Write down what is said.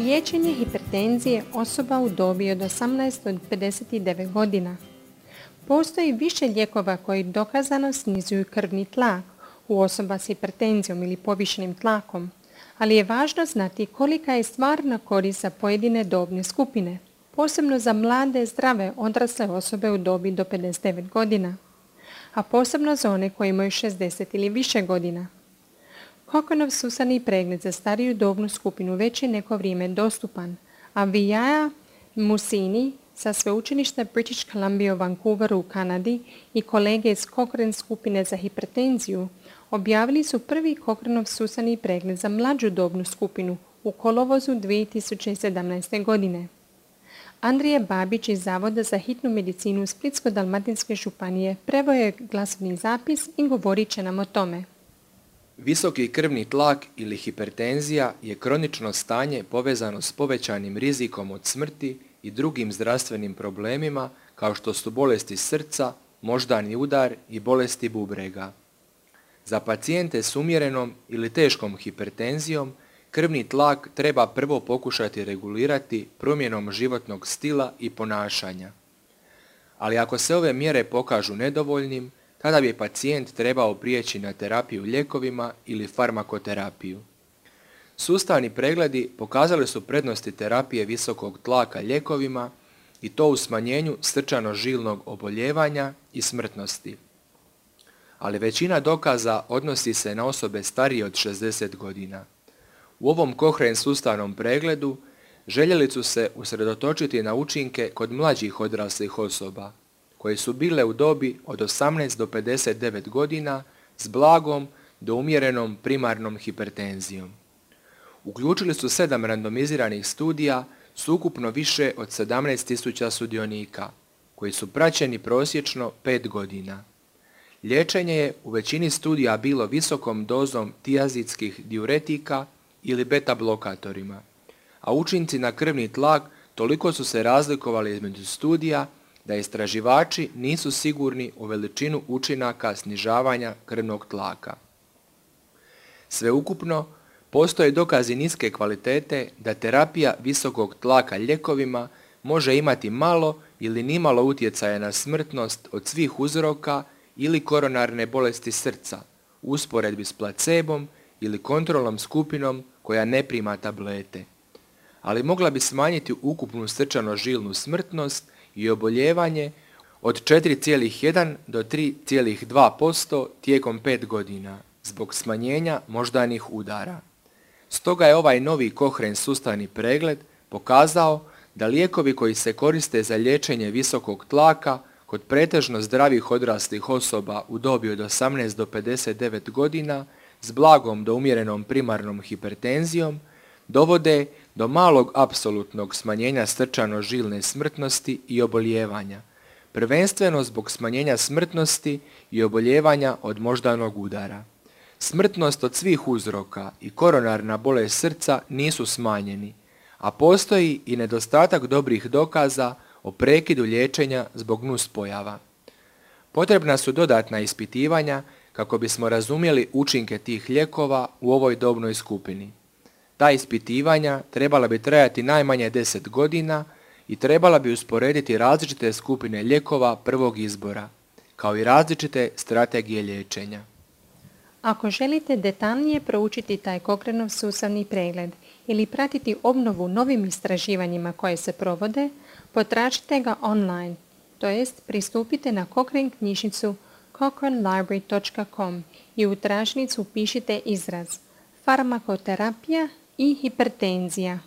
Liječenje hipertenzije osoba u dobi od 18 do 59 godina. Postoji više lijekova koji dokazano snizuju krvni tlak u osoba s hipertenzijom ili povišenim tlakom, ali je važno znati kolika je stvarna korist za pojedine dobne skupine, posebno za mlade, zdrave, odrasle osobe u dobi do 59 godina, a posebno za one koji imaju 60 ili više godina. Cochranov sustavni pregled za stariju dobnu skupinu već je neko vrijeme dostupan, a Vijaya Musini sa sveučilišta British Columbia u Vancouveru u Kanadi i kolege iz Cochrane skupine za hipertenziju objavili su prvi Cochranov sustavni pregled za mlađu dobnu skupinu u kolovozu 2017. godine. Andrija Babić iz Zavoda za hitnu medicinu Splitsko-dalmatinske županije preveo je glasovni zapis i govorit će nam o tome. Visoki krvni tlak ili hipertenzija je kronično stanje povezano s povećanim rizikom od smrti i drugim zdravstvenim problemima kao što su bolesti srca, moždani udar i bolesti bubrega. Za pacijente s umjerenom ili teškom hipertenzijom krvni tlak treba prvo pokušati regulirati promjenom životnog stila i ponašanja. Ali ako se ove mjere pokažu nedovoljnim, tada bi pacijent trebao prijeći na terapiju lijekovima ili farmakoterapiju. Sustavni pregledi pokazali su prednosti terapije visokog tlaka lijekovima i to u smanjenju srčano-žilnog oboljevanja i smrtnosti. Ali većina dokaza odnosi se na osobe starije od 60 godina. U ovom Cochrane sustavnom pregledu željeli su se usredotočiti na učinke kod mlađih odraslih osoba, koje su bile u dobi od 18 do 59 godina s blagom do umjerenom primarnom hipertenzijom. Uključili su 7 randomiziranih studija s ukupno više od 17.000 sudionika, koji su praćeni prosječno 5 godina. Liječenje je u većini studija bilo visokom dozom tiazidskih diuretika ili beta blokatorima, a učinci na krvni tlak toliko su se razlikovali između studija da istraživači nisu sigurni u veličinu učinaka snižavanja krvnog tlaka. Sveukupno, postoje dokazi niske kvalitete da terapija visokog tlaka lijekovima može imati malo ili nimalo utjecaja na smrtnost od svih uzroka ili koronarne bolesti srca u usporedbi s placebom ili kontrolnom skupinom koja ne prima tablete, ali mogla bi smanjiti ukupnu srčano-žilnu smrtnost i oboljevanje od 4,1 do 3,2% tijekom 5 godina zbog smanjenja moždanih udara. Stoga je ovaj novi Cochrane sustavni pregled pokazao da lijekovi koji se koriste za liječenje visokog tlaka kod pretežno zdravih odraslih osoba u dobi od 18 do 59 godina s blagom do umjerenom primarnom hipertenzijom dovode do malog apsolutnog smanjenja srčano-žilne smrtnosti i oboljevanja, prvenstveno zbog smanjenja smrtnosti i oboljevanja od moždanog udara. Smrtnost od svih uzroka i koronarna bolest srca nisu smanjeni, a postoji i nedostatak dobrih dokaza o prekidu liječenja zbog nuspojava. Potrebna su dodatna ispitivanja kako bismo razumjeli učinke tih lijekova u ovoj dobnoj skupini. Ta ispitivanja trebala bi trajati najmanje 10 godina i trebala bi usporediti različite skupine lijekova prvog izbora, kao i različite strategije liječenja. Ako želite detaljnije proučiti taj Cochranov sustavni pregled ili pratiti obnovu novim istraživanjima koje se provode, potražite ga online, to jest pristupite na Cochrane knjižnicu cochranelibrary.com i u tražnicu upišite izraz farmakoterapija i hipertenzija.